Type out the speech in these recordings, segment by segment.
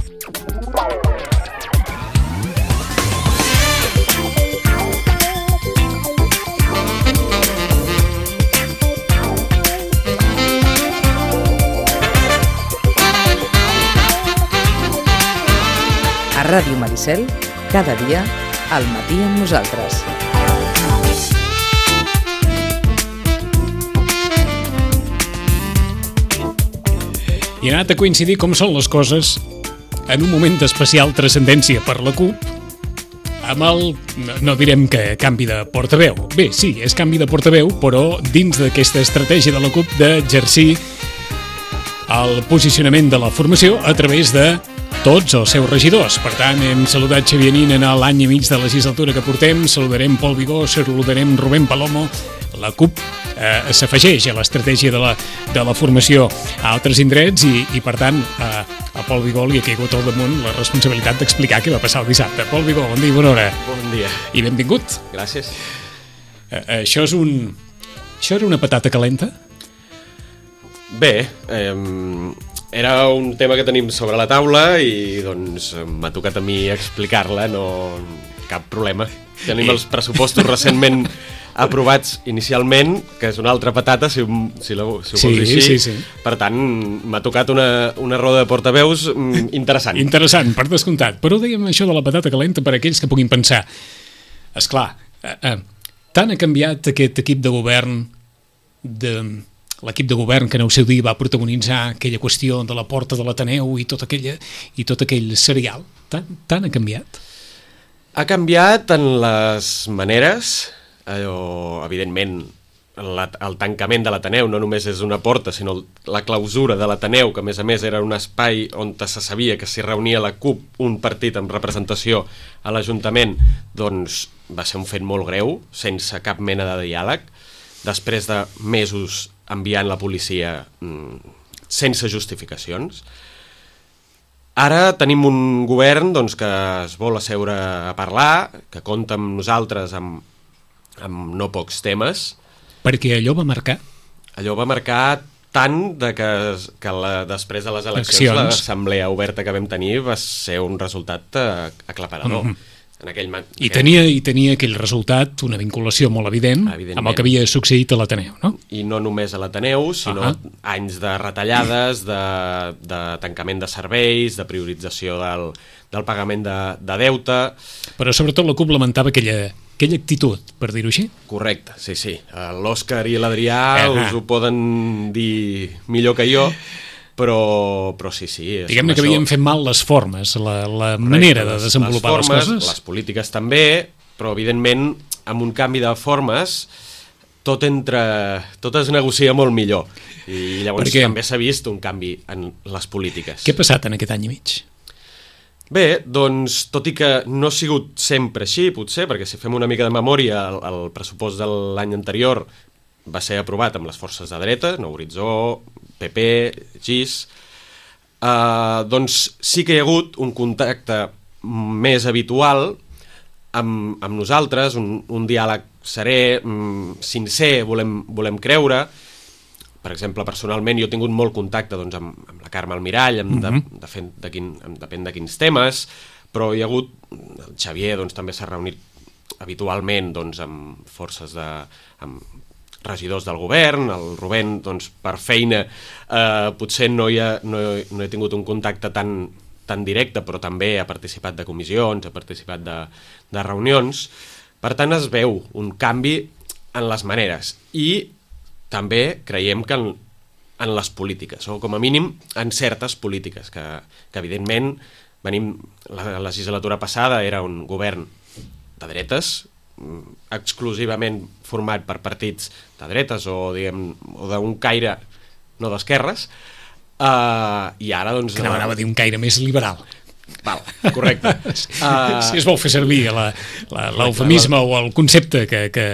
A Ràdio Maricel, cada dia, al matí amb nosaltres. I ha anat a coincidir com són les coses en un moment d'especial transcendència per la CUP amb el, no direm que canvi de portaveu. Bé, sí, és canvi de portaveu, però dins d'aquesta estratègia de la CUP d'exercir el posicionament de la formació a través de tots els seus regidors. Per tant, hem saludat Xavier Nin en l'any i mig de legislatura que portem, saludarem Pol Vigó, saludarem Rubén Palomo. La CUP s'afegeix a l'estratègia de la formació a altres indrets i per tant, a Pol Vigó li ha caigut al damunt la responsabilitat d'explicar què va passar el dissabte. Pol Vigó, bon dia i bona hora. Bon dia. I benvingut. Gràcies. Això era una patata calenta? Bé, era un tema que tenim sobre la taula i doncs m'ha tocat a mi explicar-la, no cap problema. Tenim els pressupostos recentment aprovats inicialment, que és una altra patata, si ho vols dir així. Sí. Per tant, m'ha tocat una roda de portaveus interessant. Interessant, per descomptat. Però dèiem això de la patata calenta per a aquells que puguin pensar. Esclar, tant ha canviat aquest equip de govern l'equip de govern que en el seu dia va protagonitzar aquella qüestió de la porta de l'Ateneu i tot aquell serial. Tant ha canviat? Ha canviat en les maneres. Evidentment, el tancament de l'Ateneu no només és una porta, sinó la clausura de l'Ateneu, que a més era un espai on se sabia que s'hi reunia la CUP, un partit amb representació a l'Ajuntament, doncs va ser un fet molt greu, sense cap mena de diàleg, després de mesos enviant la policia sense justificacions. Ara tenim un govern doncs, que es vol asseure a parlar, que compta amb nosaltres amb no pocs temes. Perquè allò va marcar? Allò va marcar tant que després de les eleccions l'assemblea oberta que vam tenir va ser un resultat aclaparador. I tenia aquell resultat una vinculació molt evident amb el que havia succeït a l'Ateneu, no? I no només a l'Ateneu, sinó anys de retallades, de tancament de serveis, de priorització del pagament de deute. Però sobretot la CUP lamentava aquella actitud, per dir-ho així. Correcte, sí. L'Òscar i l'Adrià us ho poden dir millor que jo, però sí. Diguem-ne que havien fet mal les formes, la manera de desenvolupar les coses. Les polítiques també, però evidentment amb un canvi de formes tot es negocia molt millor. I llavors també s'ha vist un canvi en les polítiques. Què ha passat en aquest any i mig? Bé, doncs, tot i que no ha sigut sempre així, potser, perquè si fem una mica de memòria, el pressupost de l'any anterior va ser aprovat amb les forces de dreta, Nou Horitzó, PP, GIS, doncs sí que hi ha hagut un contacte més habitual amb nosaltres, un diàleg serè, sincer, volem creure. Per exemple, personalment jo he tingut molt contacte doncs, amb la Carme Almirall, depèn de quins temes, però hi ha hagut, el Xavier doncs, també s'ha reunit habitualment doncs, amb forces amb regidors del govern, el Rubén doncs, per feina potser no he tingut un contacte tan directe, però també ha participat de comissions, ha participat de reunions. Per tant, es veu un canvi en les maneres i també creiem que en les polítiques, o com a mínim en certes polítiques, que evidentment la legislatura passada era un govern de dretes, exclusivament format per partits de dretes o d'un caire no d'esquerres, i ara doncs... Que anava a dir un caire més liberal. Val, correcte. Si es vol fer servir l'eufemisme o el concepte que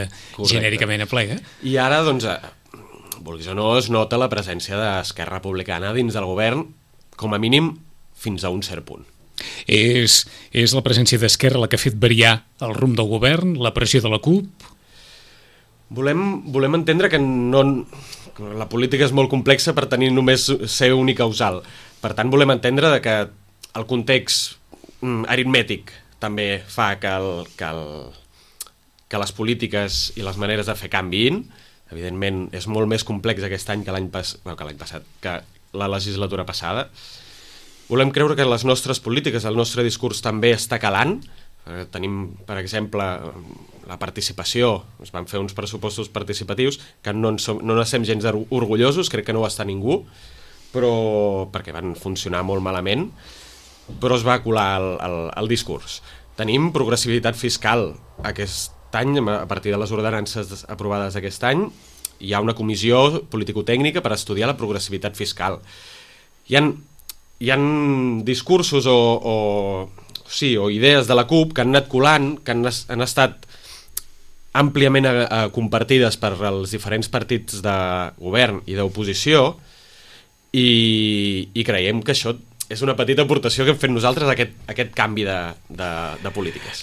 genèricament aplega. I ara doncs... vulguis o no, es nota la presència d'Esquerra Republicana dins del govern, com a mínim fins a un cert punt. És la presència d'Esquerra la que ha fet variar el rumb del govern, la pressió de la CUP? Volem entendre que la política és molt complexa per tenir només ser unicausal. Per tant, volem entendre que el context aritmètic també fa que les polítiques i les maneres de fer canviïn. Evidentment, és molt més complex aquest any que l'any passat, que la legislatura passada. Volem creure que les nostres polítiques, el nostre discurs també està calant. Tenim, per exemple, la participació. Es van fer uns pressupostos participatius que no n'estem gens orgullosos, crec que no ho està ningú, però perquè van funcionar molt malament, però es va colar el discurs. Tenim progressivitat fiscal. Aquest any, a partir de les ordenances aprovades aquest any, hi ha una comissió politico-tècnica per estudiar la progressivitat fiscal. Hi ha discursos o idees de la CUP que han anat colant, que han estat àmpliament compartides per els diferents partits de govern i d'oposició, i creiem que això és una petita aportació que hem fet nosaltres a aquest canvi de polítiques.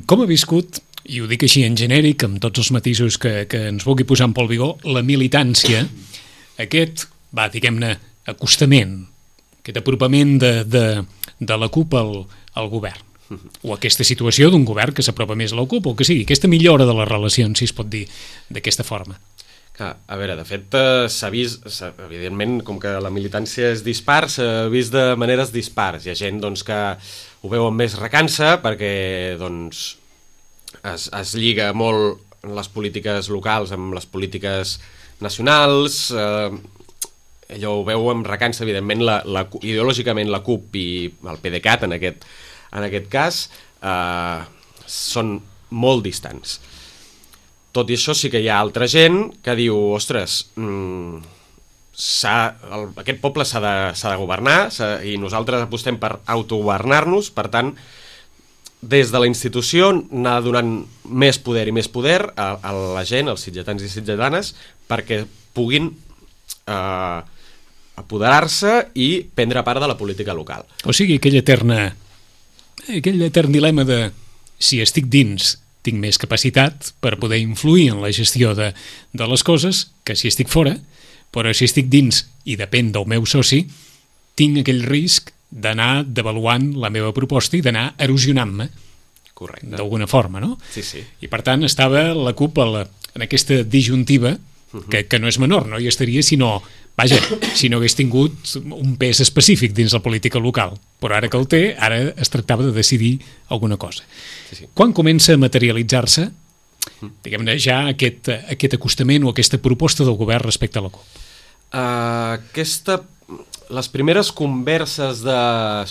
Com ha viscut, i ho dic així en genèric, amb tots els matisos que ens vulgui posar en Pol Vigó, la militància, aquest, diguem-ne, acostament, aquest apropament de la CUP al govern, o aquesta situació d'un govern que s'apropa més a la CUP, o que sigui, aquesta millora de les relacions, si es pot dir d'aquesta forma. A veure, de fet, s'ha vist, evidentment, com que la militància és dispar, s'ha vist de maneres dispars. Hi ha gent que ho veu amb més recança perquè es lliga molt les polítiques locals amb les polítiques nacionals, allò ho veu amb recança, evidentment, ideològicament la CUP i el PDeCAT, en aquest cas, són molt distants. Tot i això, sí que hi ha altra gent que diu, ostres, aquest poble s'ha de governar i nosaltres apostem per autogovernar-nos, per tant, des de la institució anar donant més poder i més poder a la gent, als sitgetans i sitgetanes, perquè puguin apoderar-se i prendre part de la política local. O sigui, aquell etern dilema de si estic dins tinc més capacitat per poder influir en la gestió de les coses que si estic fora, però si estic dins i depèn del meu soci, tinc aquell risc d'anar devaluant la meva proposta i d'anar erosionant-me. Correcte. D'alguna forma, no? Sí, sí. I per tant estava la CUP en aquesta disjuntiva que no és menor, no hi estaria si no hagués tingut un pes específic dins la política local, però ara que el té, ara es tractava de decidir alguna cosa. Sí. Quan comença a materialitzar-se, diguem-ne, ja aquest acostament o aquesta proposta del govern respecte a la CUP? Les primeres converses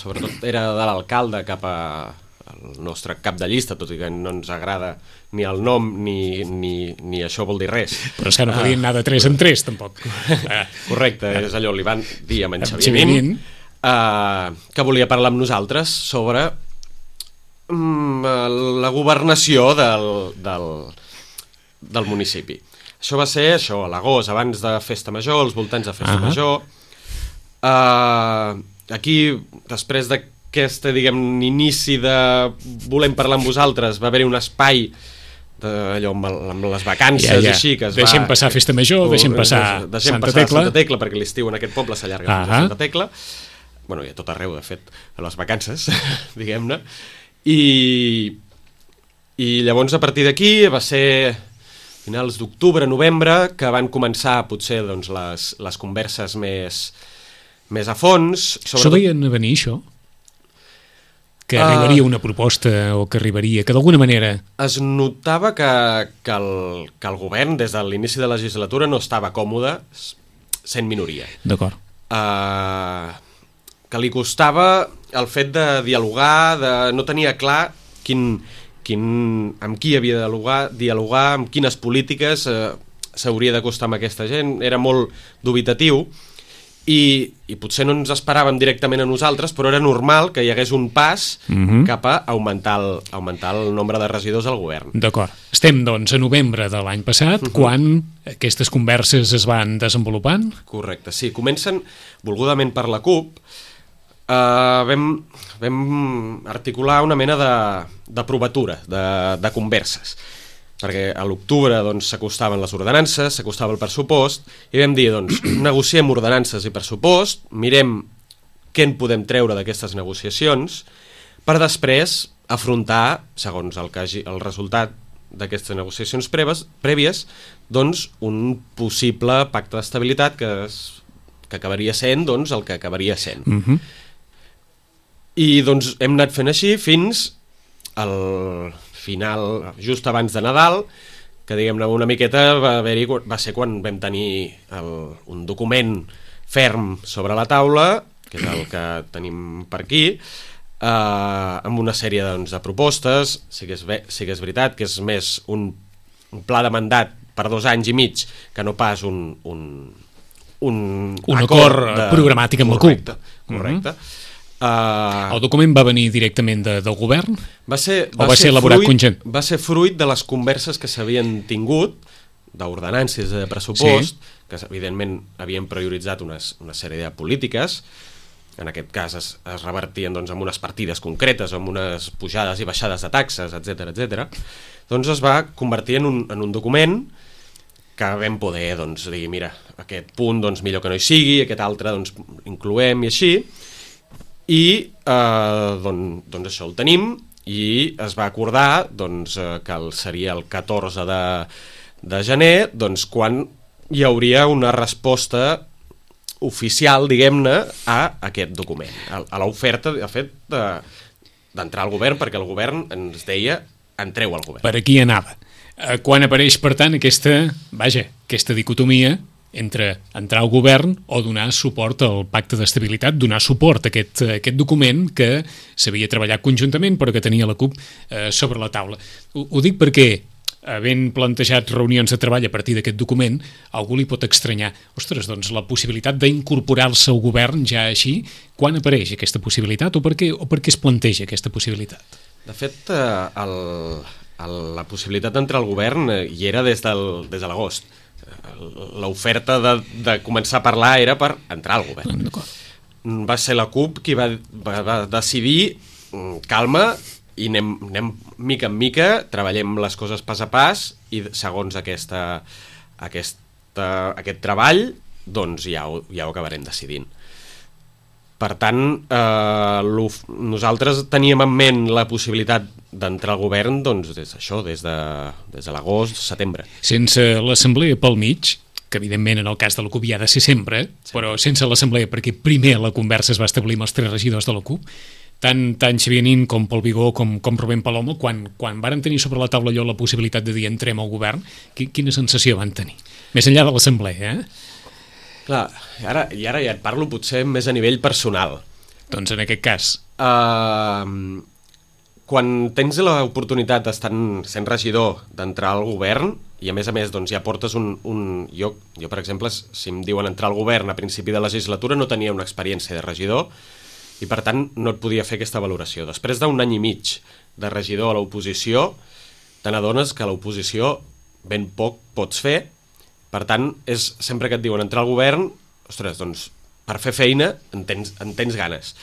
sobretot era de l'alcalde cap al nostre cap de llista, tot i que no ens agrada ni el nom ni això vol dir res. Però és que no podien anar de 3 en 3, tampoc. Correcte, és allò, li van dir a en Xavier Nin que volia parlar amb nosaltres sobre la governació del municipi. Això va ser a l'agost, abans de Festa Major, als voltants de Festa Major. Aquí, després d'aquest, inici de volem parlar amb vosaltres, va haver-hi un espai allò amb les vacances i així que deixem passar Festa Major, deixem passar Santa Tecla, perquè l'estiu en aquest poble s'allarga fins a Santa Tecla, i a tot arreu, de fet, a les vacances, diguem-ne, i llavors a partir d'aquí va ser finals d'octubre, novembre, que van començar potser les converses més a fons. S'ho veien a venir, això? Que arribaria una proposta o que d'alguna manera... Es notava que el govern, des de l'inici de la legislatura, no estava còmode sent minoria. D'acord. Que li costava el fet de dialogar, no tenia clar amb qui havia de dialogar, amb quines polítiques s'hauria d'acostar amb aquesta gent. Era molt dubitatiu. I potser no ens esperàvem directament a nosaltres, però era normal que hi hagués un pas cap a augmentar el nombre de regidors al govern. D'acord. Estem, doncs, a novembre de l'any passat, quan aquestes converses es van desenvolupant? Correcte, sí. Comencen volgudament per la CUP. Vam articular una mena de provatura, de converses, perquè a l'octubre s'acostaven les ordenances, s'acostava el pressupost, i vam dir, negociem ordenances i pressupost, mirem què en podem treure d'aquestes negociacions, per després afrontar, segons el resultat d'aquestes negociacions prèvies, doncs un possible pacte d'estabilitat que acabaria sent doncs, el que acabaria sent. I doncs hem anat fent així fins al final, just abans de Nadal, que diguem-ne una miqueta va ser quan vam tenir un document ferm sobre la taula, que és el que tenim per aquí, amb una sèrie doncs, de propostes. Sí que és veritat que és més un pla de mandat per 2 anys i mig que no pas un acord programàtic amb la CUP. Correcte. El document va venir directament del govern? Va ser elaborat conjunt? Va ser fruit de les converses que s'havien tingut d'ordenances de pressupost, que evidentment havien prioritzat una sèrie de polítiques. En aquest cas es revertien doncs, amb unes partides concretes, amb unes pujades i baixades de taxes, etc. Doncs es va convertir en un document que vam poder doncs, dir, mira, aquest punt doncs, millor que no hi sigui, aquest altre doncs, incloem i així, i doncs això ho tenim, i es va acordar doncs, que seria el 14 de gener doncs, quan hi hauria una resposta oficial, diguem-ne, a aquest document, a l'oferta, de fet, d'entrar al govern, perquè el govern ens deia entreu al govern. Per aquí anava. Quan apareix, per tant, aquesta dicotomia entre entrar al govern o donar suport al pacte d'estabilitat, donar suport a aquest document que s'havia treballat conjuntament però que tenia la CUP sobre la taula. Ho dic perquè, havent plantejat reunions de treball a partir d'aquest document, algú li pot estranyar, ostres, doncs la possibilitat d'incorporar-se al govern ja així, quan apareix aquesta possibilitat o per què es planteja aquesta possibilitat? De fet, la possibilitat d'entrar al govern hi era des de l'agost. L'oferta de començar a parlar era per entrar al govern. Va ser la CUP qui va decidir calma i anem mica en mica, treballem les coses pas a pas i segons aquest treball doncs ja ho acabarem decidint. Per tant, nosaltres teníem en ment la possibilitat d'entrar al govern doncs, des de l'agost, setembre. Sense l'assemblea pel mig, que evidentment en el cas de la CUP hi ha de ser sempre, però sense l'assemblea, perquè primer la conversa es va establir amb els 3 regidors de la CUP, tant Xavier Nin com Pol Vigó com Rubén Palomo, quan varen tenir sobre la taula allò la possibilitat de dir entrem al govern, quina sensació van tenir? Més enllà de l'assemblea, Clar, i ara ja et parlo potser més a nivell personal. Doncs en aquest cas. Quan tens l'oportunitat sent regidor d'entrar al govern, i a més doncs, ja portes Jo, per exemple, si em diuen entrar al govern a principi de legislatura, no tenia una experiència de regidor, i per tant no et podia fer aquesta valoració. Després d'un any i mig de regidor a l'oposició, te n'adones que a l'oposició ben poc pots fer. Per tant, sempre que et diuen entrar al govern, ostres, doncs per fer feina en tens ganes.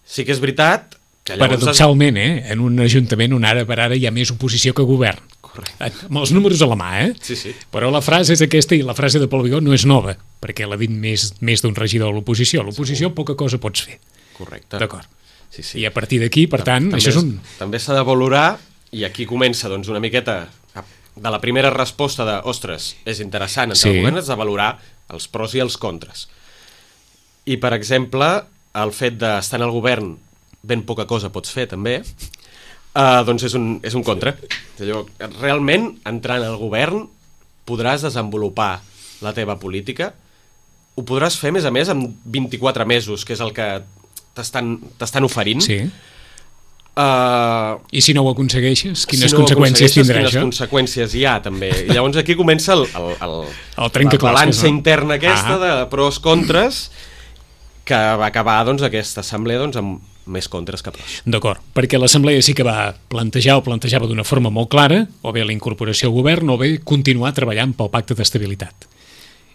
Sí que és veritat que llavors... Paradoxalment, en un ajuntament on ara per ara hi ha més oposició que govern. Correcte. Amb els números a la mà, Sí. Però la frase és aquesta i la frase de Pol Vigó no és nova, perquè l'ha dit més d'un regidor a l'oposició. A l'oposició poca cosa pots fer. Correcte. D'acord. Sí. I a partir d'aquí, per tant, això és un... També s'ha de valorar, i aquí comença doncs, una miqueta de la primera resposta de, ostres, és interessant entrar al govern, has de valorar els pros i els contres. I, per exemple, el fet d'estar en el govern ben poca cosa pots fer, també, doncs és un contra. Realment, entrant al govern, podràs desenvolupar la teva política, ho podràs fer, a més, en 24 mesos, que és el que t'estan oferint. Sí. I si no ho aconsegueixes, quines conseqüències tindrà això? Quines conseqüències hi ha, també. I llavors aquí comença la balança interna aquesta de pros contres, que va acabar aquesta assemblea amb més contres que pros. D'acord, perquè l'assemblea sí que va plantejava d'una forma molt clara, o bé la incorporació al govern, o bé continuar treballant pel pacte d'estabilitat.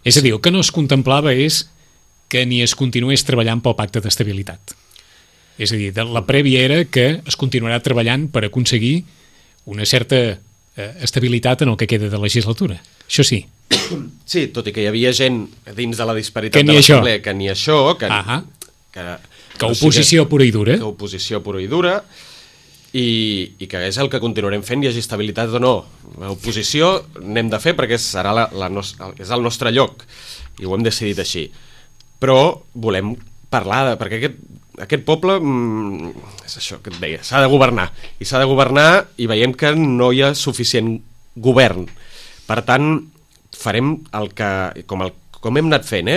És a dir, el que no es contemplava és que ni es continués treballant pel pacte d'estabilitat. És a dir, la prèvia era que es continuarà treballant per aconseguir una certa estabilitat en el que queda de legislatura. Això sí. Sí, tot i que hi havia gent dins de la disparitat de l'assemblea que ni això, que Que oposició pura i dura. Que oposició pura i dura, i que és el que continuarem fent, hi hagi estabilitat o no. L'oposició n'hem de fer perquè serà és el nostre lloc, i ho hem decidit així. Però volem parlar, perquè aquest poble, és això que et deia, s'ha de governar, i veiem que no hi ha suficient govern. Per tant, farem el que, com hem anat fent,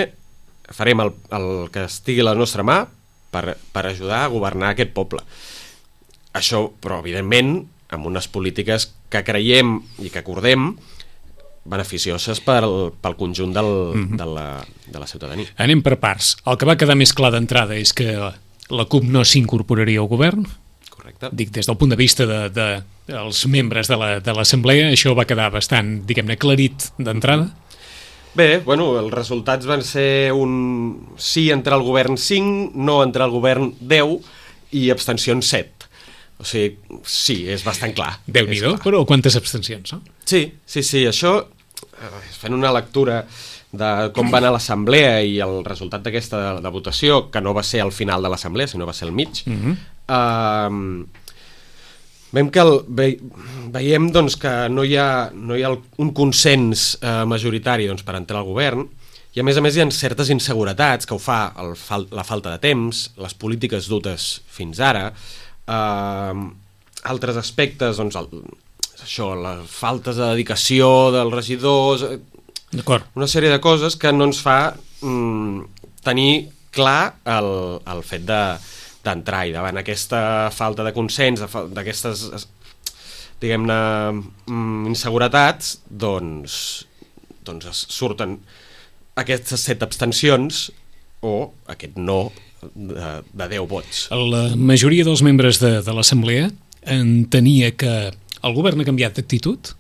farem el que estigui a la nostra mà per ajudar a governar aquest poble. Això, però, evidentment, amb unes polítiques que creiem i que acordem beneficioses pel conjunt de la ciutadania. Anem per parts. El que va quedar més clar d'entrada és que la CUP no s'incorporaria al govern. Correcte. Dic, des del punt de vista dels membres de l'Assemblea, això va quedar bastant, diguem-ne, aclarit d'entrada. Bé, bueno, els resultats van ser un sí entrar al govern 5, no entrar al govern 10 i abstencions 7. O sigui, sí, és bastant clar. Déu-n'hi-do, però quantes abstencions, no? Sí, això, fent una lectura de com va anar l'assemblea i el resultat d'aquesta de votació, que no va ser al final de l'assemblea, sinó va ser al mig, veiem doncs, que no hi ha un consens majoritari doncs, per entrar al govern, i a més hi ha certes inseguretats que ho fa la falta de temps, les polítiques dutes fins ara, altres aspectes, doncs, això, les faltes de dedicació dels regidors, una sèrie de coses que no ens fa tenir clar el fet d'entrar, i davant aquesta falta de consens, d'aquestes, diguem-ne, inseguretats, doncs surten aquestes 7 abstencions o aquest no de 10 vots. La majoria dels membres de l'Assemblea entenia que el govern ha canviat d'actitud.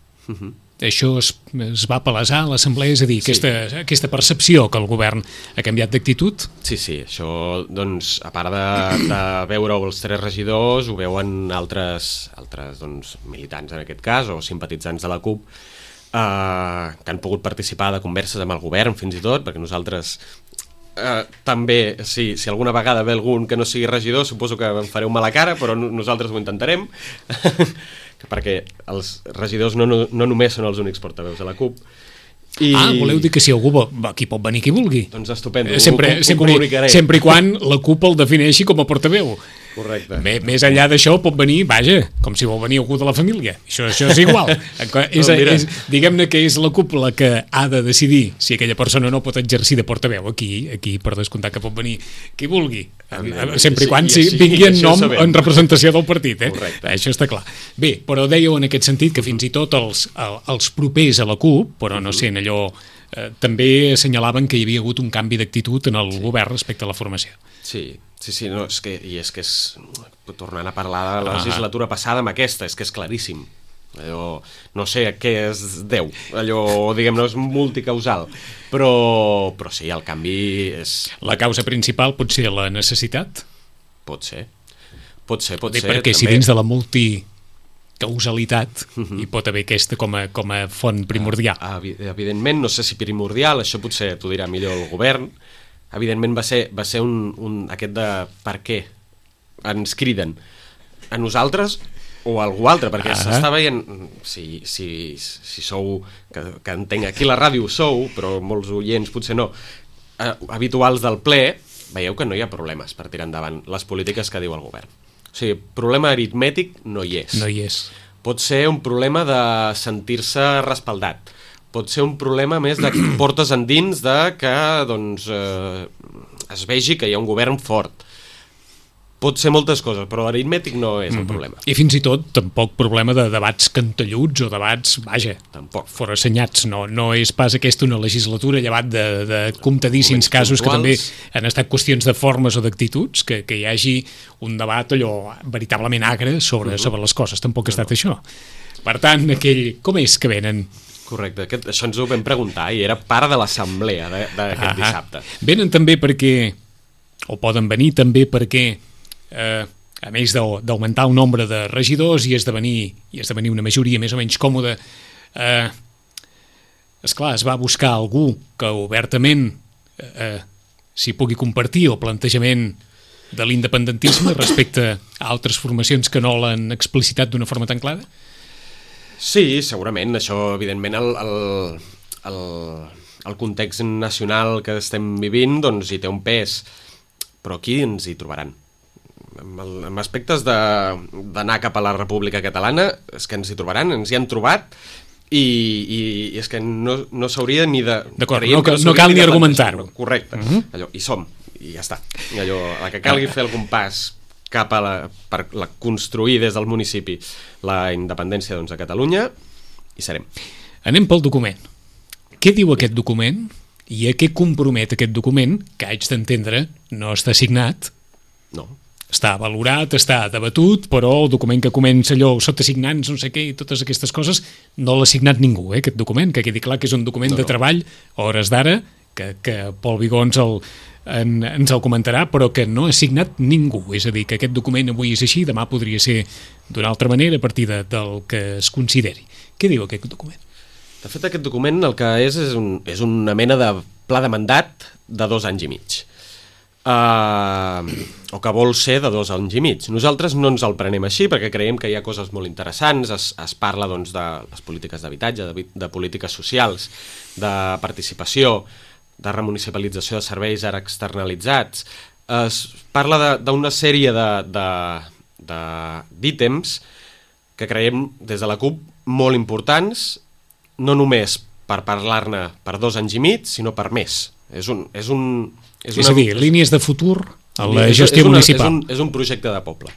Això es va palesar a l'Assemblea, és a dir, aquesta percepció que el govern ha canviat d'actitud. Sí, això, doncs, a part de veure-ho els 3 regidors, ho veuen altres doncs, militants en aquest cas, o simpatitzants de la CUP, que han pogut participar de converses amb el govern, fins i tot, perquè nosaltres també, si alguna vegada ve algun que no sigui regidor, suposo que em fareu mala cara, però nosaltres ho intentarem, perquè els regidors no només són els únics portaveus de la CUP. Voleu dir que si algú aquí pot venir qui vulgui? Doncs estupendo, ho comunicaré. Sempre i quan la CUP el defineixi com a portaveu. Correcte. Més enllà d'això pot venir, vaja, com si vol venir algú de la família. Això és igual. Diguem-ne que és la CUP la que ha de decidir si aquella persona no pot exercir de portaveu. Aquí per descomptar que pot venir qui vulgui. Sempre i quan vingui en nom, en representació del partit. Correcte. Això està clar. Bé, però dèieu en aquest sentit que fins i tot els propers a la CUP, però no sent allò, també assenyalaven que hi havia hagut un canvi d'actitud en el govern respecte a la formació. Sí, no, és que tornant a parlar de la legislatura passada amb aquesta, és que és claríssim. Allò, no sé què és Déu, allò, diguem-ne, és multicausal, però sí, el canvi és... La causa principal pot ser la necessitat? Pot ser. Perquè també, si dins de la causalitat hi pot haver aquesta com a font primordial. Evidentment, no sé si primordial, això potser t'ho dirà millor el govern. Evidentment va ser aquest de per què ens criden a nosaltres o a algú altre, perquè s'està veient, si sou, que entenc, aquí a la ràdio sou, però molts oients potser no, habituals del ple, veieu que no hi ha problemes per tirar endavant les polítiques que diu el govern. O sigui, problema aritmètic no hi és. No hi és. Pot ser un problema de sentir-se respaldat. Pot ser un problema més de portes endins de que doncs, es vegi que hi ha un govern fort. Pot ser moltes coses, però l'aritmètic no és el problema. I fins i tot tampoc problema de debats cantelluts o debats, vaja, tampoc forassenyats. No és pas aquesta una legislatura llevat de comptadíssims casos que també han estat qüestions de formes o d'actituds, que hi hagi un debat allò veritablement agre sobre les coses. Tampoc ha estat això. Per tant, com és que venen? Correcte, això ens ho vam preguntar i era part de l'assemblea d'aquest dissabte. Venen també perquè, o poden venir també perquè, a més d'augmentar el nombre de regidors i esdevenir una majoria més o menys còmoda, esclar, es va buscar algú que obertament s'hi pugui compartir el plantejament de l'independentisme respecte a altres formacions que no l'han explicitat d'una forma tan clara? Sí, segurament. Això, evidentment, el context nacional que estem vivint doncs, hi té un pes, però aquí ens hi trobaran. En aspectes d'anar cap a la República Catalana és que ens hi trobaran, ens hi han trobat i és que no s'hauria ni de... D'acord, no cal ni argumentar-ho. Correcte, allò, hi som, i ja està. Allò, la que calgui fer algun pas cap a per construir des del municipi la independència doncs, a Catalunya, hi serem. Anem pel document. Què diu aquest document i a què compromet aquest document, que haig d'entendre no està signat? No. Està valorat, està debatut, però el document que comença allò sota signants, no sé què, i totes aquestes coses, no l'ha signat ningú, aquest document, que quedi clar que és un document de treball, a hores d'ara, que Pol Vigó ens el comentarà, però que no ha signat ningú. És a dir, que aquest document avui és així, demà podria ser d'una altra manera a partir del que es consideri. Què diu aquest document? De fet, aquest document el que és una mena de pla de mandat de 2 anys i mig. O que vol ser de 2 anys i mig. Nosaltres no ens el prenem així perquè creiem que hi ha coses molt interessants, es parla doncs, de les polítiques d'habitatge, de polítiques socials, de participació, de remunicipalització de serveis ara externalitzats. Es parla d'una sèrie d'ítems que creiem des de la CUP molt importants, no només per parlar-ne per 2 anys i mig, sinó per més. És a dir, línies de futur a la gestió municipal. És un projecte de poble.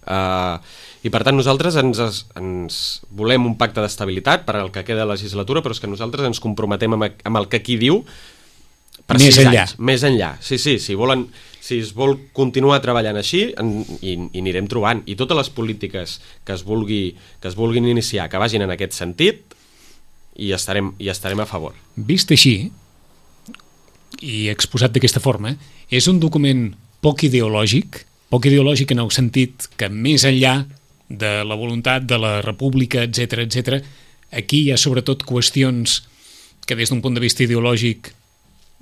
I per tant nosaltres ens volem un pacte d'estabilitat per al que queda de legislatura, però és que nosaltres ens comprometem amb el que aquí diu per més 6 enllà. anys. Més enllà. Sí, si es vol continuar treballant així i anirem trobant. I totes les polítiques que es vulguin iniciar, que vagin en aquest sentit, i estarem a favor. Vist així i exposat d'aquesta forma, és un document poc ideològic en el sentit que més enllà de la voluntat de la república, etc, aquí hi ha sobretot qüestions que des d'un punt de vista ideològic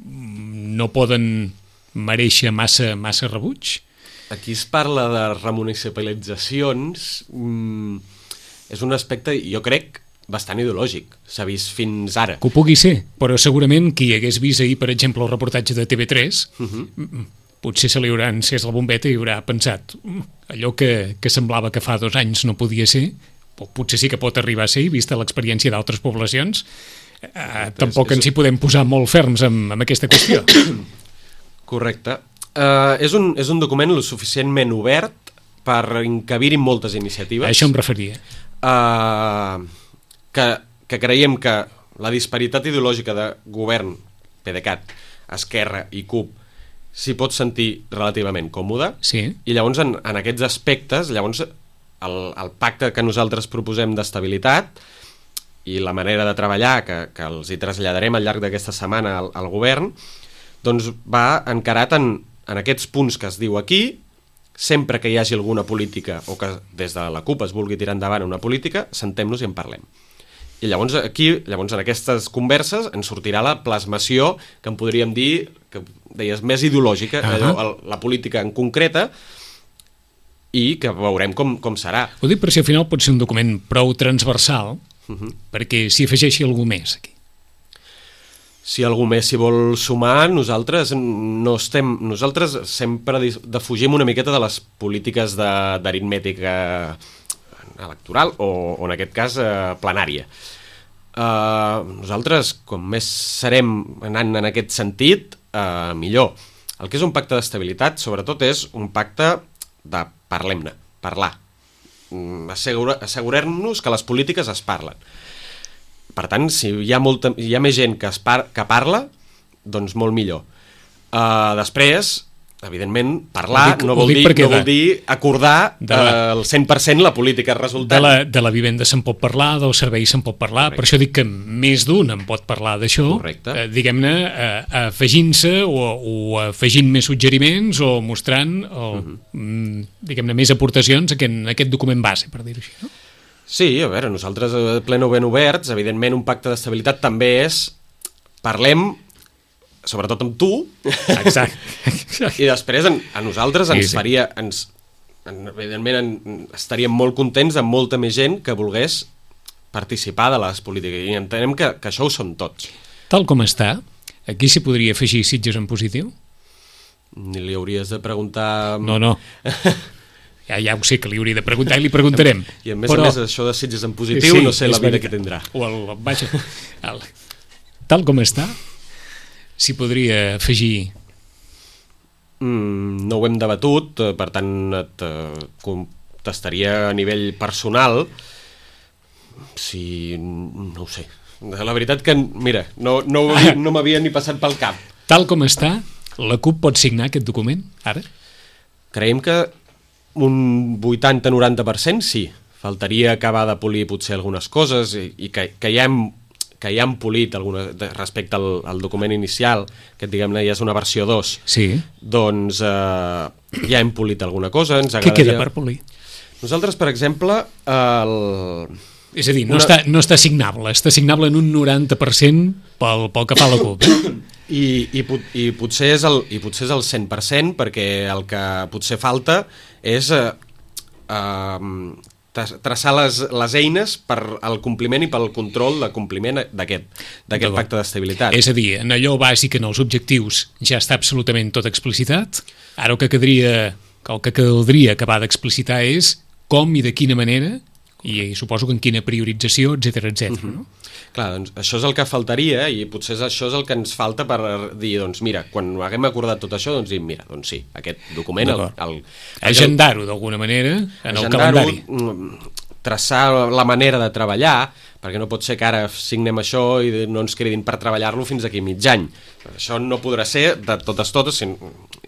no poden mereixer massa rebuig? Aquí es parla de remunicipalitzacions, és un aspecte, jo crec, bastant ideològic, s'ha vist fins ara. Que ho pugui ser, però segurament qui hagués vist ahir, per exemple, el reportatge de TV3, potser se li haurà encès la bombeta i haurà pensat allò que semblava que fa 2 anys no podia ser, o potser sí que pot arribar a ser, vista l'experiència d'altres poblacions, tampoc ens hi podem posar molt ferms amb aquesta qüestió. Correcte. És un document lo suficientment obert per encabir-hi moltes iniciatives. A això em referia. Que creiem que la disparitat ideològica de govern, PDeCAT, Esquerra i CUP s'hi pot sentir relativament còmode, sí. I llavors en aquests aspectes llavors el pacte que nosaltres proposem d'estabilitat i la manera de treballar que els hi traslladarem al llarg d'aquesta setmana al govern, doncs va encarat en aquests punts que es diu aquí. Sempre que hi hagi alguna política o que des de la CUP es vulgui tirar endavant una política, sentem-nos i en parlem. I llavors en aquestes converses ens sortirà la plasmació que en podríem dir, que deies, més ideològica, la política en concreta, i que veurem com serà. Ho dic per si al final pot ser un document prou transversal, perquè s'hi afegeixi algú més aquí. Si algú més s'hi vol sumar, nosaltres sempre defugim una miqueta de les polítiques d'aritmètica electoral o en aquest cas plenària. Nosaltres, com més serem anant en aquest sentit, millor. El que és un pacte d'estabilitat, sobretot, és un pacte de parlem-ne, parlar. Assegurar-nos que les polítiques es parlen. Per tant, si hi ha més gent que parla, doncs molt millor. Després, evidentment, parlar no vol dir acordar el 100% la política resultant. De la vivenda se'n pot parlar, del servei se'n pot parlar. Correcte. Per això dic que més d'un en pot parlar d'això, diguem-ne, afegint-se o afegint més suggeriments o mostrant diguem-ne, més aportacions a aquest document base, per dir-ho així, no? Sí, a veure, nosaltres pleno ben oberts, evidentment un pacte d'estabilitat també és parlem sobretot amb tu, Exacte. i després a nosaltres ens faria... evidentment estaríem molt contents amb molta més gent que volgués participar de les polítiques, i entenem que això ho són tots. Tal com està, aquí s'hi podria afegir Sitges en positiu? Ni li hauries de preguntar... No. Ja ho sé que li hauria de preguntar i li preguntarem. I a més a més, això de Sitges en positiu, no sé la vida que tindrà. Tal com està, s'hi podria afegir... No ho hem debatut, per tant et contestaria a nivell personal. Si... no ho sé. La veritat que, mira, no m'havia ni passat pel cap. Tal com està, la CUP pot signar aquest document, ara? Creiem que un 80-90% sí. Faltaria acabar de polir potser algunes coses i que ja hem polit respecte al document inicial, que diguem-ne ja és una versió 2. Sí. Doncs ja hem polit alguna cosa. Què queda per polir? Nosaltres, per exemple, és a dir, no està signable, està signable en un 90% pel que fa a la CUP. I potser és el 100%, perquè el que potser falta és traçar les eines per al compliment i pel control de compliment d'aquest pacte d'estabilitat. És a dir, en allò bàsic, en els objectius, ja està absolutament tot explicitat. Ara el que caldria acabar d'explicitar és com i de quina manera, i suposo que en quina priorització, etc. No? Clar, doncs això és el que faltaria, i potser això és el que ens falta per dir, doncs mira, quan haguem acordat tot això, doncs mira, doncs sí, aquest document... Agendar-ho d'alguna manera en el calendari. Traçar la manera de treballar, perquè no pot ser que ara signem això i no ens cridin per treballar-lo fins aquí mig any. Això no podrà ser de totes,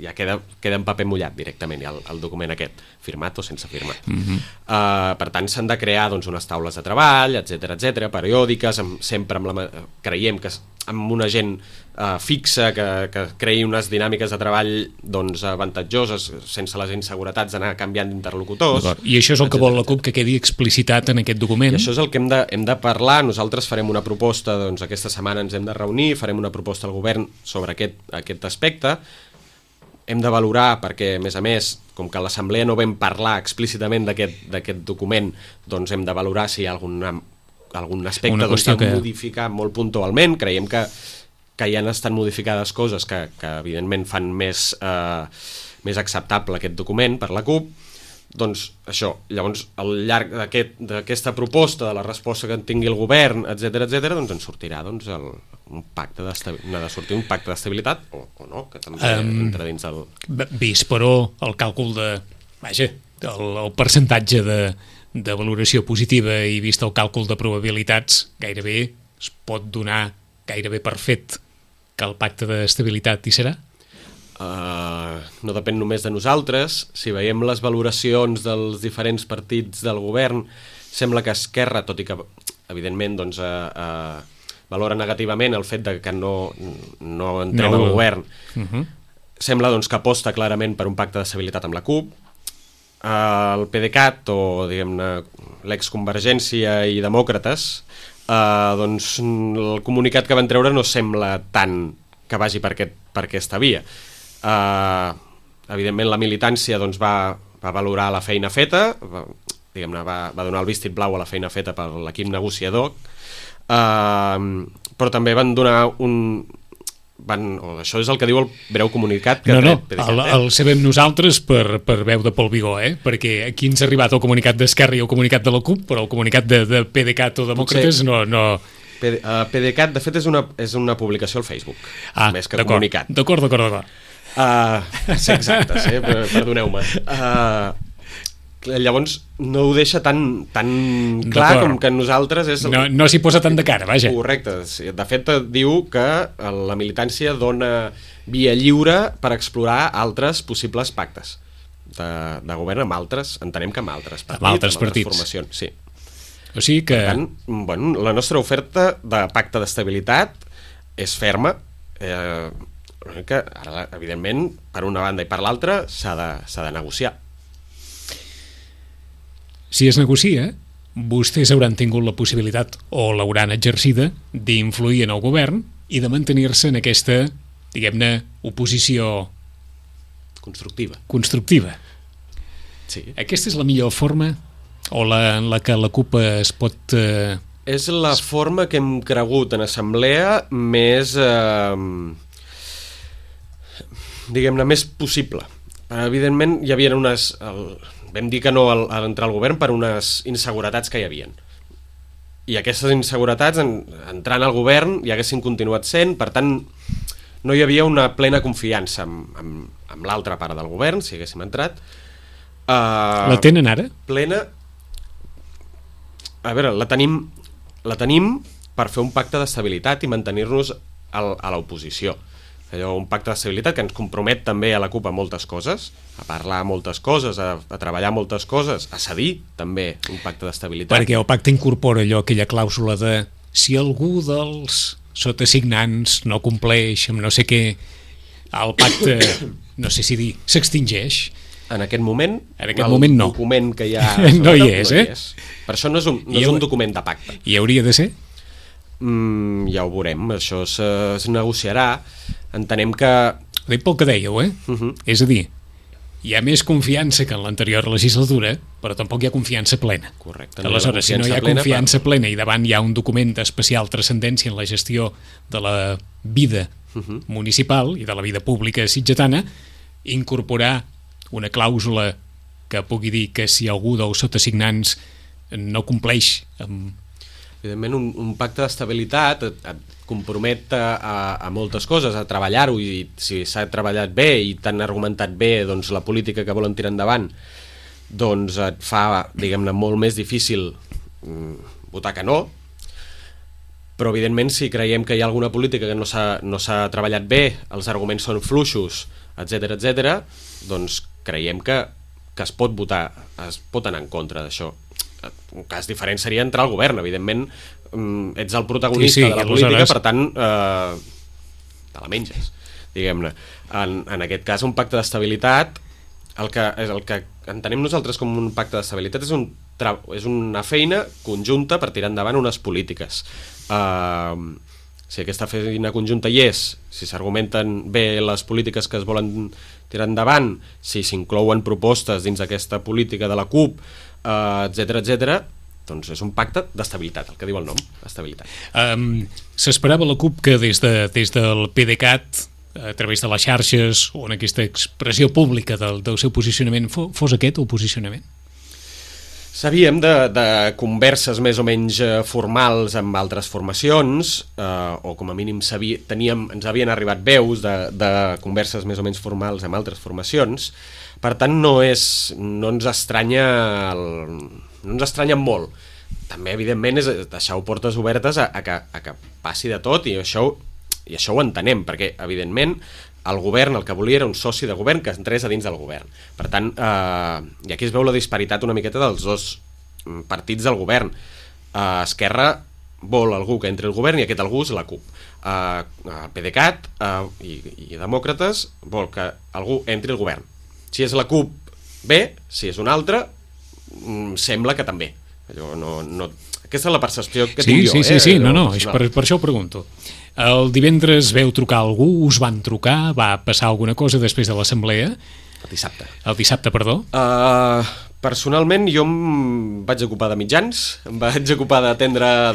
ja queda en paper mullat directament el document aquest, firmat o sense firmar. Per tant, s'han de crear unes taules de treball, etc, periòdiques, sempre creiem que amb una gent fixa, que creï unes dinàmiques de treball avantatjoses, sense les inseguretats d'anar canviant d'interlocutors. I això és el que vol la CUP, que quedi explicitat en aquest document. I això és el que hem de parlar. Nosaltres farem una proposta, aquesta setmana ens hem de reunir, farem una proposta al govern sobre aquest aspecte. Hem de valorar, perquè a més, com que a l'Assemblea no vam parlar explícitament d'aquest document, doncs hem de valorar si hi ha algun aspecte a modificar molt puntualment. Creiem que ja han estat modificades coses que evidentment fan més acceptable aquest document per la CUP. Doncs això, llavors al llarg d'aquesta proposta, de la resposta que en tingui el govern, etc, doncs en sortirà un pacte d'estabilitat o no, que també entra dins del... Vist, però, el càlcul el percentatge de valoració positiva i vist el càlcul de probabilitats, gairebé es pot donar gairebé per fet que el pacte d'estabilitat hi serà? No depèn només de nosaltres. Si veiem les valoracions dels diferents partits del govern, sembla que Esquerra, tot i que evidentment valora negativament el fet que no entrem al govern, sembla que aposta clarament per un pacte d'estabilitat amb la CUP. El PDeCAT, o diguem-ne l'exconvergència i Demòcrates, el comunicat que van treure no sembla tant que vagi per aquesta via. Evidentment la militància va valorar la feina feta, va donar el vistit blau a la feina feta per l'equip negociador, però també van donar això és el que diu el breu comunicat que el sabem nosaltres per veu de Pol Vigó, perquè aquí ens ha arribat el comunicat d'Esquerra i el comunicat de la CUP, però el comunicat de PDeCAT o Demòcrates no... PDeCAT, de fet, és una publicació al Facebook, més que comunicat. D'acord. Sí, exacte, perdoneu-me. Llavors no ho deixa tan clar com que nosaltres és... No s'hi posa tant de cara, vaja. Correcte. De fet, diu que la militància dona via lliure per explorar altres possibles pactes de govern amb altres, entenem que amb altres partits, amb altres formacions, sí. O sigui que... Per tant, la nostra oferta de pacte d'estabilitat és ferma, que ara, evidentment, per una banda i per l'altra s'ha de negociar. Si es negocia, vostès hauran tingut la possibilitat, o l'hauran exercida, d'influir en el govern i de mantenir-se en aquesta diguem-ne, oposició constructiva. Sí. Aquesta és la millor forma o en la que la CUP es pot... És la forma que hem cregut en assemblea més, diguem-ne, més possible. Evidentment, hi havia unes... Vam dir que no a l'entrar al govern per unes inseguretats que hi havien. I aquestes inseguretats, entrant al govern, hi haguessin continuat sent, per tant, no hi havia una plena confiança amb l'altra part del govern, si haguéssim entrat. La tenen ara? Plena... A veure, la tenim per fer un pacte d'estabilitat i mantenir-nos a l'oposició. Allò, un pacte d'estabilitat que ens compromet també a la CUP a moltes coses, a parlar moltes coses, a treballar moltes coses, a cedir també un pacte d'estabilitat. Perquè el pacte incorpora allò, aquella clàusula de si algú dels sotasignants no compleix amb no sé què, el pacte, no sé si dir, s'extingeix. En aquest moment, moment no. El document que hi ha... No hi és, eh? Per això no és un document de pacte. I hauria de ser? Ja ho veurem, això es negociarà. Entenem que... Ho dic pel que dèieu, eh? És a dir, hi ha més confiança que en l'anterior legislatura, però tampoc hi ha confiança plena. Correcte. Aleshores, si no hi ha confiança plena i davant hi ha un document d'especial transcendència en la gestió de la vida municipal i de la vida pública sitgetana, incorporar una clàusula que pugui dir que si algú dels sotasignants no compleix amb... Evidentment, un pacte d'estabilitat et compromet a moltes coses, a treballar-ho, i si s'ha treballat bé i t'han argumentat bé doncs, la política que volen tirar endavant, doncs et fa, diguem-ne, molt més difícil votar que no. Però, evidentment, si creiem que hi ha alguna política que no s'ha treballat bé, els arguments són fluixos, etc, doncs creiem que es pot votar, es pot anar en contra d'això. Un cas diferent seria entrar al govern, evidentment ets el protagonista de la política, per tant te la menges, diguem-ne. En aquest cas, un pacte d'estabilitat, el que entenem nosaltres com un pacte d'estabilitat és una feina conjunta per tirar endavant unes polítiques. Si aquesta feina conjunta hi és, si s'argumenten bé les polítiques que es volen tirar endavant, si s'inclouen propostes dins aquesta política de la CUP, etc, doncs és un pacte d'estabilitat, el que diu el nom, estabilitat. S'esperava la CUP que des del PDeCAT, a través de les xarxes o en aquesta expressió pública del seu posicionament, fos aquest el posicionament? Sabíem de converses més o menys formals amb altres formacions, o com a mínim ens havien arribat veus de converses més o menys formals amb altres formacions. Per tant, no ens estranya molt. També, evidentment, és deixar portes obertes a que passi de tot, i això ho entenem, perquè, evidentment, el govern el que volia era un soci de govern que entrés a dins del govern. Per tant, i aquí es veu la disparitat una miqueta dels dos partits del govern. Esquerra vol algú que entri al govern i aquest algú és la CUP. PDeCAT i Demòcrates vol que algú entri al govern. Si és la CUP, bé; si és una altra, sembla que també. Aquesta és la percepció que tinc jo. Sí, per això ho pregunto. El divendres veu trucar algú, us van trucar, va passar alguna cosa després de l'assemblea? El dissabte, perdó. Personalment, jo em vaig ocupar de mitjans, em vaig ocupar d'atendre a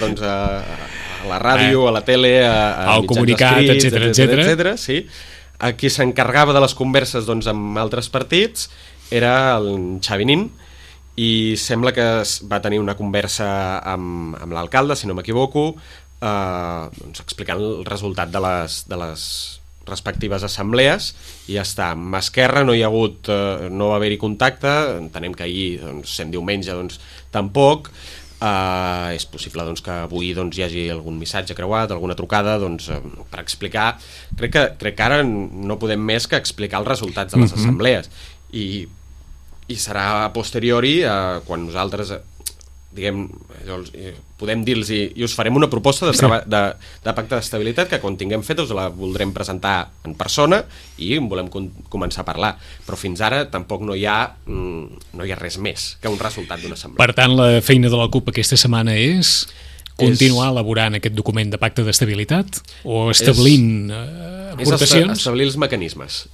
la ràdio, a la tele, a comunicat, etc. Sí. Qui s'encargava de les converses amb altres partits era el Xavi Nin, i sembla que va tenir una conversa amb l'alcalde, si no m'equivoco, explicant el resultat de les respectives assemblees, i ja està. Amb Esquerra no va haver-hi contacte, entenem que ahir, sent diumenge, tampoc. És possible que avui hi hagi algun missatge creuat, alguna trucada per explicar. Crec que ara no podem més que explicar els resultats de les assemblees, i serà a posteriori quan nosaltres podem dir-los i us farem una proposta de pacte d'estabilitat que quan tinguem fet us la voldrem presentar en persona i en volem començar a parlar, però fins ara tampoc no hi ha res més que un resultat d'una assemblea. Per tant, la feina de la CUP aquesta setmana és continuar elaborant aquest document de pacte d'estabilitat o establint aportacions? Establir els mecanismes.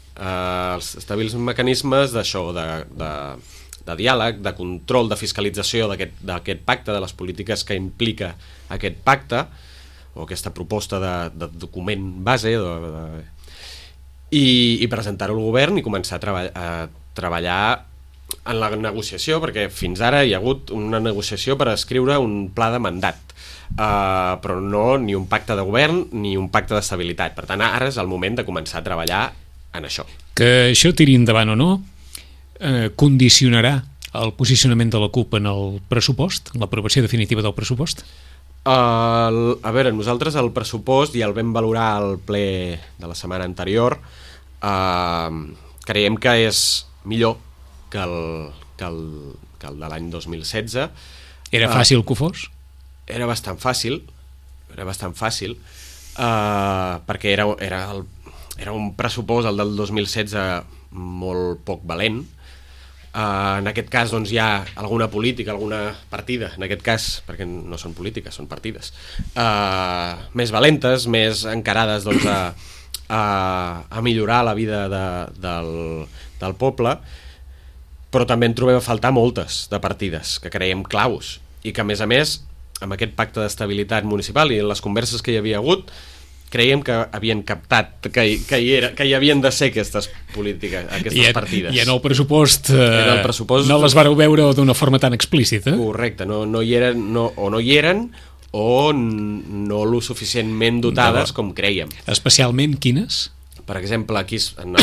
Establir els mecanismes d'això, de diàleg, de control, de fiscalització d'aquest pacte, de les polítiques que implica aquest pacte, o aquesta proposta de document base, i presentar-ho al govern i començar a treballar en la negociació, perquè fins ara hi ha hagut una negociació per escriure un pla de mandat, però no ni un pacte de govern ni un pacte d'estabilitat. Per tant, ara és el moment de començar a treballar en això. Que això tiri endavant o no condicionarà el posicionament de la CUP en el pressupost, en l'aprovació definitiva del pressupost? A veure, nosaltres el pressupost ja el vam valorar al ple de la setmana anterior. Creiem que és millor que el de l'any 2016. Era fàcil que ho fos? Era bastant fàcil, perquè era un pressupost, el del 2016, molt poc valent. En aquest cas doncs, hi ha alguna política, alguna partida, en aquest cas, perquè no són polítiques, són partides, més valentes, més encarades doncs, a millorar la vida del poble, però també en trobem a faltar moltes de partides que creiem claus i que, a més, amb aquest pacte d'estabilitat municipal i en les converses que hi havia hagut, creiem que havien captat que hi havien de ser aquestes polítiques, aquestes partides. I en el pressupost no les vareu veure d'una forma tan explícita? Correcte, no hi eren o no lo suficientment dotades com creiem. Especialment quines? Per exemple, aquí en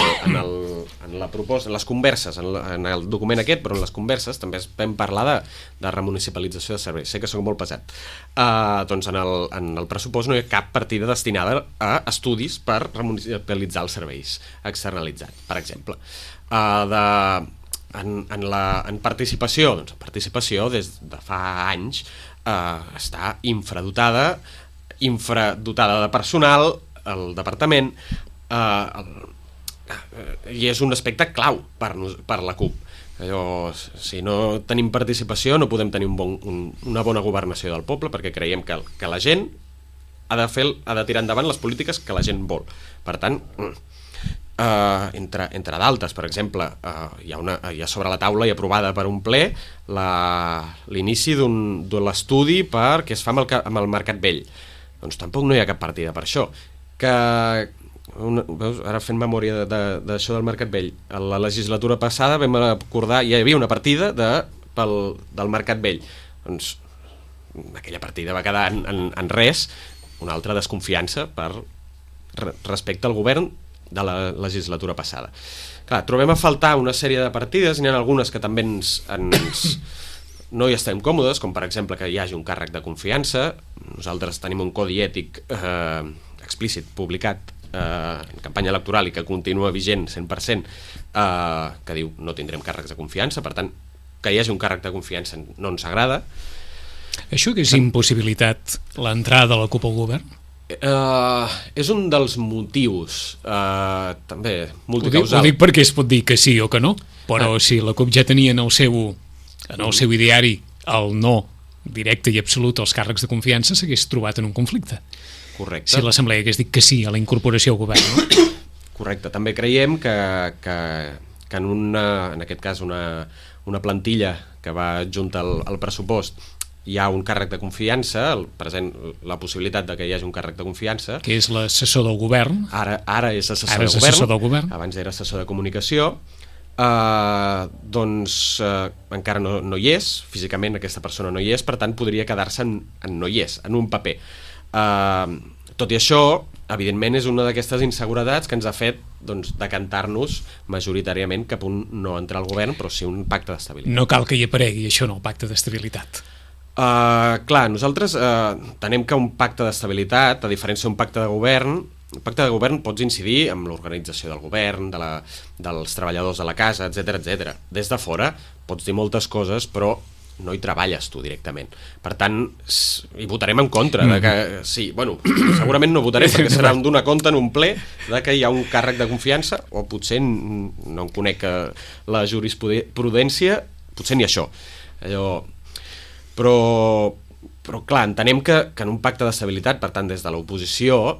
la proposta, en les converses, en el document aquest, però en les converses també vam parlar de remunicipalització de serveis. Sé que soc molt pesat. Doncs en el pressupost no hi ha cap partida destinada a estudis per remunicipalitzar els serveis externalitzats, per exemple. En participació, doncs participació des de fa anys està infradotada de personal, el departament, i és un aspecte clau per la CUP. Si no tenim participació no podem tenir una bona governació del poble, perquè creiem que la gent ha de tirar endavant les polítiques que la gent vol. Per tant, entre d'altres, per exemple, hi ha sobre la taula i aprovada per un ple l'inici de l'estudi per què es fa amb el Mercat Vell. Doncs tampoc no hi ha cap partida per això. Veus, ara fent memòria d'això del Mercat Vell, a la legislatura passada vam acordar, hi havia una partida del Mercat Vell, doncs aquella partida va quedar en res, una altra desconfiança respecte al govern de la legislatura passada. Clar, trobem a faltar una sèrie de partides, n'hi ha algunes que també no hi estem còmodes, com per exemple que hi hagi un càrrec de confiança. Nosaltres tenim un codi ètic explícit publicat en campanya electoral i que continua vigent 100%, que diu no tindrem càrrecs de confiança. Per tant, que hi hagi un càrrec de confiança no ens agrada. Això que és impossibilitat l'entrada de la CUP al govern? És un dels motius, també multicausal. Ho dic perquè es pot dir que sí o que no, però si la CUP ja tenia en el seu ideari el no directe i absolut als càrrecs de confiança, s'hagués trobat en un conflicte. Correcte. Si l'Assemblea hagués dit que sí a la incorporació al govern, no? Correcte. També creiem que en aquest cas una plantilla que va adjunta al pressupost hi ha un càrrec de confiança, la possibilitat de que hi hagi un càrrec de confiança. Que és l'assessor del govern. Ara és assessor del govern. Abans era assessor de comunicació. Encara no hi és, físicament aquesta persona no hi és, per tant podria quedar-se en no hi és, en un paper. Tot i això, evidentment és una d'aquestes inseguretats que ens ha fet decantar-nos majoritàriament cap a un no entrar al govern, però sí un pacte d'estabilitat. No cal que hi aparegui això en el pacte d'estabilitat. Clar, nosaltres tenem que un pacte d'estabilitat, a diferència d'un pacte de govern, el pacte de govern pots incidir amb l'organització del govern, dels treballadors de la casa, etc. Des de fora pots dir moltes coses, però no hi treballes tu directament. Per tant, hi votarem en contra de que, sí, bueno, segurament no votarem perquè serà donar compte en un ple de que hi ha un càrrec de confiança, o potser no en conec la jurisprudència, potser ni això. Però clar, entenem que en un pacte d'estabilitat, per tant des de l'oposició,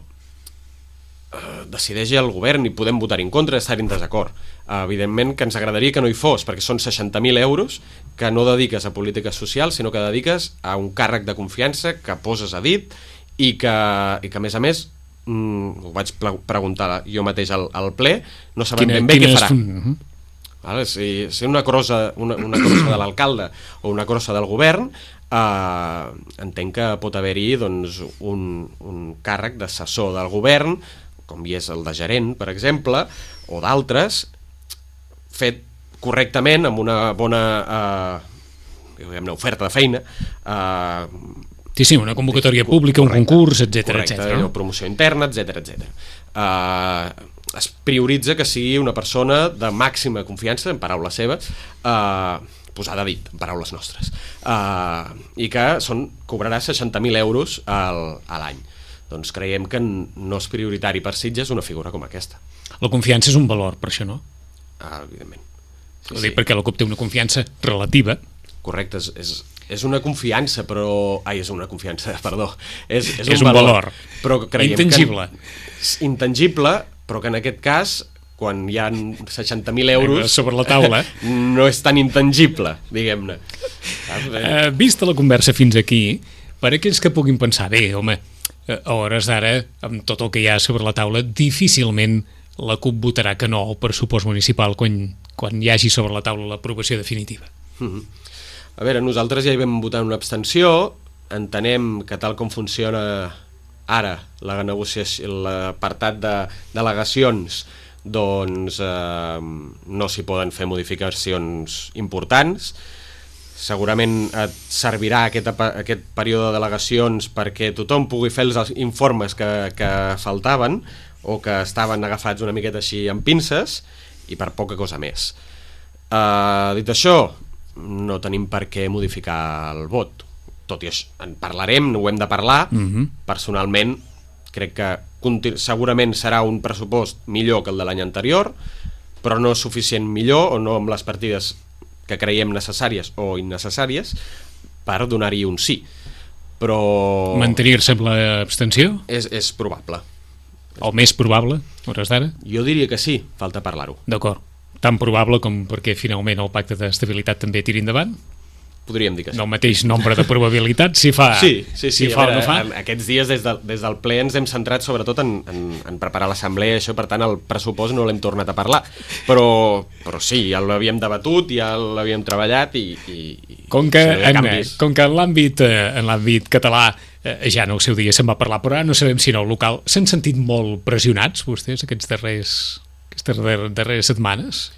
decideix el govern i podem votar en contra, estar en desacord. Evidentment que ens agradaria que no hi fos, perquè són 60.000 euros que no dediques a polítiques socials, sinó que dediques a un càrrec de confiança que poses a dit i que a més, ho vaig preguntar jo mateix al ple, no sabem ben bé què farà. Vale? Si una crossa de l'alcalde o una crossa del govern, entenc que pot haver-hi doncs, un càrrec d'assessor del govern, com hi és el de gerent, per exemple, o d'altres, fet correctament, amb una bona oferta de feina. Sí, una convocatòria pública, un concurs, etc. Correcte, promoció interna, etc. Es prioritza que sigui una persona de màxima confiança, en paraules seves, posada a dit, en paraules nostres, i que cobrarà 60.000 euros a l'any. Doncs creiem que no és prioritari per Sitges una figura com aquesta. La confiança és un valor, per això, no? Evidentment. Ho dic perquè la CUP té una confiança relativa. Correcte, és una confiança, però... és una confiança, perdó. És un valor. Però creiem intangible. Intangible, però que en aquest cas, quan hi ha 60.000 euros... sobre la taula. No és tan intangible, diguem-ne. Vista la conversa fins aquí, per aquells que puguin pensar, bé, home, a hores d'ara, amb tot el que hi ha sobre la taula, difícilment la CUP votarà que no al pressupost municipal quan hi hagi sobre la taula l'aprovació definitiva. A veure, nosaltres ja hi vam votar una abstenció, entenem que tal com funciona ara la negociació, l'apartat de delegacions, doncs no s'hi poden fer modificacions importants. Segurament et servirà aquest període de delegacions perquè tothom pugui fer els informes que faltaven o que estaven agafats una miqueta així amb pinces, i per poca cosa més. Dit això, no tenim per què modificar el vot. Tot i això, en parlarem, ho hem de parlar. Personalment, crec que segurament serà un pressupost millor que el de l'any anterior, però no suficient millor, o no amb les partides que creiem necessàries o innecessàries per donar-hi un sí. Però... Mantenir-se amb l'abstenció? És probable. O més probable, a hores d'ara? Jo diria que sí, falta parlar-ho. D'acord. Tan probable com perquè finalment el pacte d'estabilitat també tiri endavant? Podríem dir que sí. Del mateix nombre de probabilitats, si fa, sí, fa o no fa? Aquests dies des del ple ens hem centrat sobretot en preparar l'assemblea, això, per tant el pressupost no l'hem tornat a parlar, però sí, ja l'havíem debatut, ja l'havíem treballat i com que en l'àmbit català ja en el seu dia se'n va parlar, però ara no sabem si en el local s'han sentit molt pressionats vostès aquestes darreres setmanes?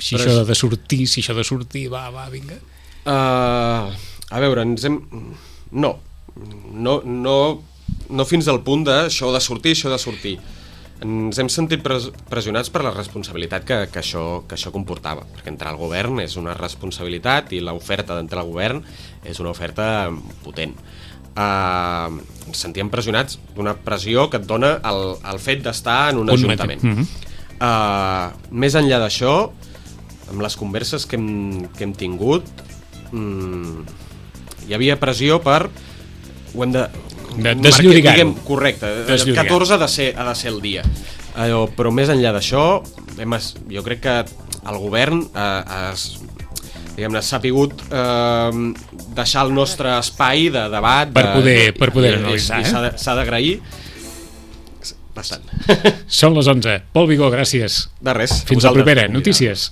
Si això de sortir, va, vinga. A veure, no fins al punt d'això de sortir. Ens hem sentit pressionats per la responsabilitat que això comportava, perquè entrar al govern és una responsabilitat i l'oferta d'entrar al govern és una oferta potent. Ens sentíem pressionats d'una pressió que et dona el fet d'estar en un ajuntament. Més enllà d'això, amb les converses que hem tingut, hi havia pressió per... Ho hem de desllorigar-ho. Correcte, el 14 ha de ser el dia. Però més enllà d'això, jo crec que el govern s'ha pogut deixar el nostre espai de debat per poder analitzar. S'ha d'agrair bastant. Són les 11. Pol Vigó, gràcies. De res. Fins a la propera. Notícies.